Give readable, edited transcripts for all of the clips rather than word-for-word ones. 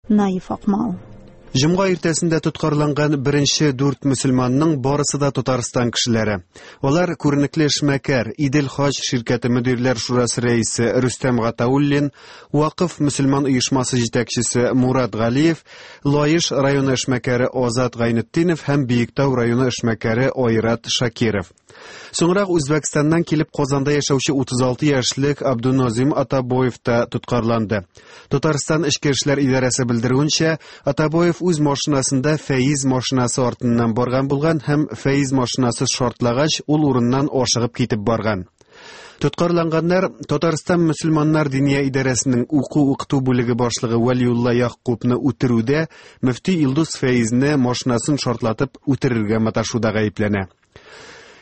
Наиф Акмал. Җомга иртәсендә тоткарланган беренче дүрт мөселманның барысы да Татарстан кешеләре. Алар күренекле эшмәкәр, Идел Хаҗ ширкәте мөдирләр шурасы рәисе Рөстәм Гатауллин, Вакыф мөселман оешмасы җитәкчесе Мурат Галиев, Лаеш районы эшмәкәре Азат Гайнетдинов һәм Биектау районы эшмәкәре Айрат Шакиров. Соңрак Үзбәкстаннан килеп Казанда яшәүче 36 яшьлек Абдунозим Атабоев та тоткарланды. Татарстан Эчке эшләр идарәсе белдерүенчә, Атабоев үз машинасында Фәиз машинасы артыннан барган булган һәм Фәиз машинасы шартлагач, ул урыннан ашыгып китеп барган. Тоткарланганнар Татарстан мөселманнар диния идарәсенең уку-укыту бүлеге башлыгы Вәлиулла Ягъкубны үтерүдә мөфти Илдус Фәизне машинасын шартлатып үтерергә маташуда гаепләнә.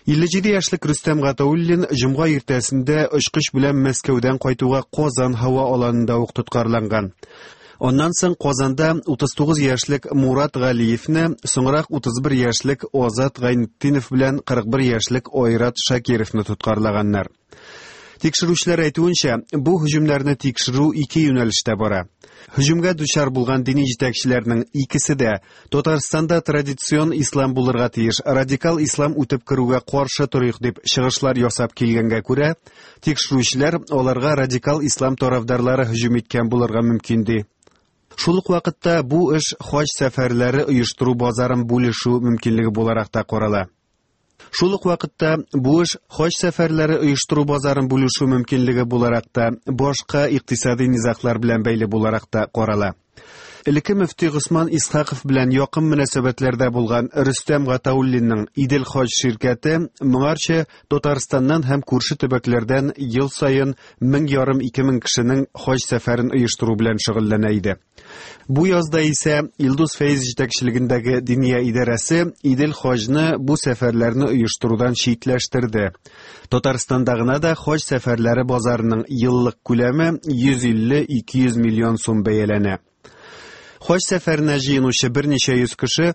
57 яшьлек Рөстәм Гатауллин җомга иртәсендә очкыч белән Мәскәүдән кайтуга Казан һава аланында ук тоткарланган. Аннан соң Казанда 39 яшьлек Мурат Галиевне, соңрак 31 яшьлек Азат Гайнетдинов белән 41 яшьлек Айрат Шакировны тоткарлаганнар. Тикшерүчеләр әйтүенчә, бу һөҗүмнәрне тикшерү ике юнәлештә бара. Һөҗүмгә дучар булган дини җитәкчеләрнең икесе дә Татарстанда традицион ислам булырга тиеш, радикал ислам үтеп керүгә каршы торыйк дип чыгышлар ясап килгәнгә күрә, тикшерүчеләр аларга радикал ислам тарафдарлары һөҗүм иткән булырга мөмкин ди. Шул ук вакытта бу эш хаҗ сәфәрләре оештыру базарын бүлешү мөмкинлеге буларак та карала. Шул ук вакытта бу эш хаҗ сәфәрләре оештыру базарын бүлешү мөмкинлеге буларак та, башка икътисади низаглар белән бәйле буларак та карала. Элекке мөфти Госман Исхаков белән якын мөнәсәбәтләрдә булган Рөстәм Гатауллинның Идел хаҗ ширкәте моңарчы Татарстаннан һәм күрше төбәкләрдән ел саен 1500-2000 кешенең хаҗ сәфәрен оештыру белән шөгыльләнә иде. Бу язда исә Илдус Фәиз җитәкчелегендәге Диния идарәсе Идел хаҗны бу сәфәрләрне оештырудан читләштерде. Татарстанда гына да хаҗ сәфәрләре базарының еллык күләме 150-200 миллион сум бәяләнә. Хаҗ сәфәренә җыенучы берничә йөз кеше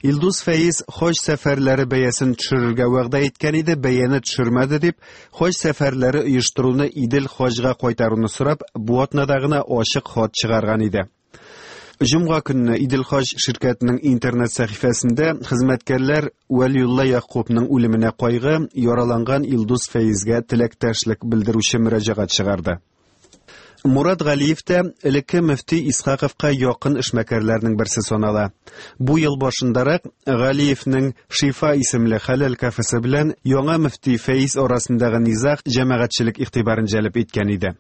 Илдус Фәиз хаҗ сәфәрләре бәясен төшерергә вәгъдә иткән иде, бәяне төшермәде дип, Хаҗ сәфәрләре оештыруны Идел хаҗга кайтаруны сорап, бу атнада гына ачык хат чыгарган иде. Җомга көнне Идел хаҗ ширкәтенең интернет сәхифәсендә хезмәткәрләр Вәлиулла Якубның үлеменә кайгы, яраланган Илдус Фәизгә теләктәшлек белдерүче мөрәҗәгать чыгарды. Мурат Галиев тә элекке мөфти Исхаковка якын эшмәкәрләрнең берсе санала. Бу ел башындарак Галиевнең Шифа исемле хәләл кафесы белән яңа мөфти Фәиз арасындагы низаг җәмәгатьчелек игътибарын җәлеп иткән иде.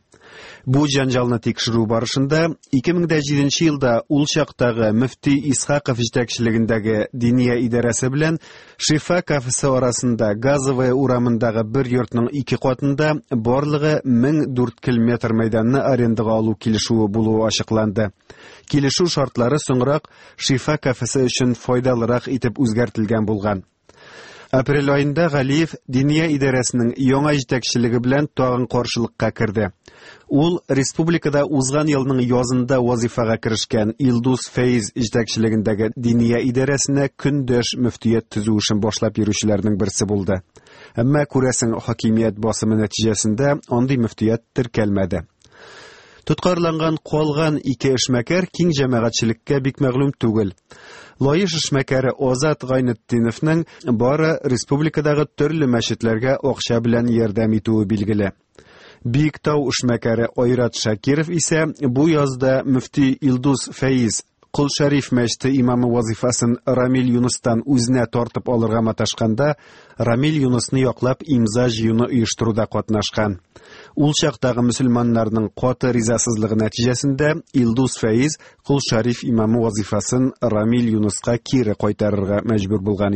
Бу җәнҗалны тикшерү барышында 2007 елда ул чактагы мөфти Исхаков җитәкчелегендәге Диния идарәсе белән Шифа кафесы арасында Газовая урамындагы бер йортның ике катында барлыгы 1004 метр мәйданны арендага алу килешүе булуы ачыкланды. Килешү шартлары соңрак Шифа кафесы өчен файдалырак итеп үзгәртелгән булган. Апрель аенда Галиев Диния идарәсенең яңа җитәкчелеге белән тагын каршылыкка керде. Ул республикада узган елның язында вазифага керешкән Илдус Фәиз җитәкчелегендәге Диния идарәсенә көндәш мөфтият төзү эшен башлап йөрүчеләрнең берсе булды. Әмма, күрәсең, хакимият басымы нәтиҗәсендә андый мөфтият теркәлмәде. Тоткарланган калган ике эшмәкәр киң җәмәгатьчелеккә бик мәгълүм түгел. Лаеш эшмәкәре Азат Гайнетдиновның бары республикадагы төрле мәчетләргә акча белән ярдәм итүе билгеле. Биектау эшмәкәре Айрат Шакиров исә бу язда мөфти Илдус Фәиз Кол Шәриф мәчете имамы вазифасын Рамил Юныстан үзенә тартып алырга маташканда, Рамил Юнысны яклап имза җыюны оештыруда катнашкан. Ул чактагы мөселманнарның каты ризасызлыгы нәтиҗәсендә Илдус Фәиз Кол Шәриф имамы вазифасын Рамил Юныска кире кайтарырга мәҗбүр булган.